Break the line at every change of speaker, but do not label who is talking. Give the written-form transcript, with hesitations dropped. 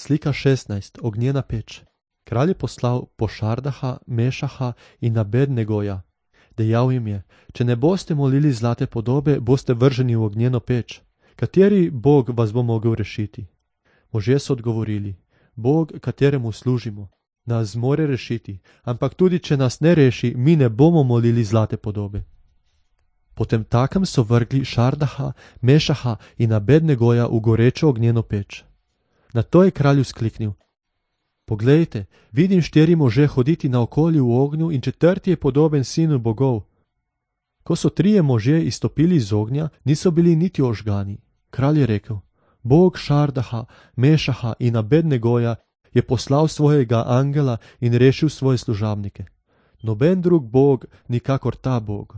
Slika 16. Ognjena peč. Kralj je poslal Pošardaha, Mešaha in Abednegoja. Dejal jim je: če ne boste molili zlate podobe, boste vrženi v ognjeno peč. Kateri Bog vas bo mogel rešiti? Možje so odgovorili: Bog, kateremu služimo, nas zmore rešiti, ampak tudi če nas ne reši, mi ne bomo molili zlate podobe. Potem takem so vrgli Šardaha, Mešaha in Abednegoja v gorečo ognjeno peč. Nato je kralj vzkliknil: Poglejte, vidim 4 može hoditi naokoli v ognju in 4. je podoben sinu bogov. Ko so 3 možje izstopili iz ognja, niso bili niti ožgani. Kralj je rekel: Bog Šardaha, Mešaha in Abednegoja je poslal svojega angela in rešil svoje služabnike. Noben drug bog, nikakor ta Bog.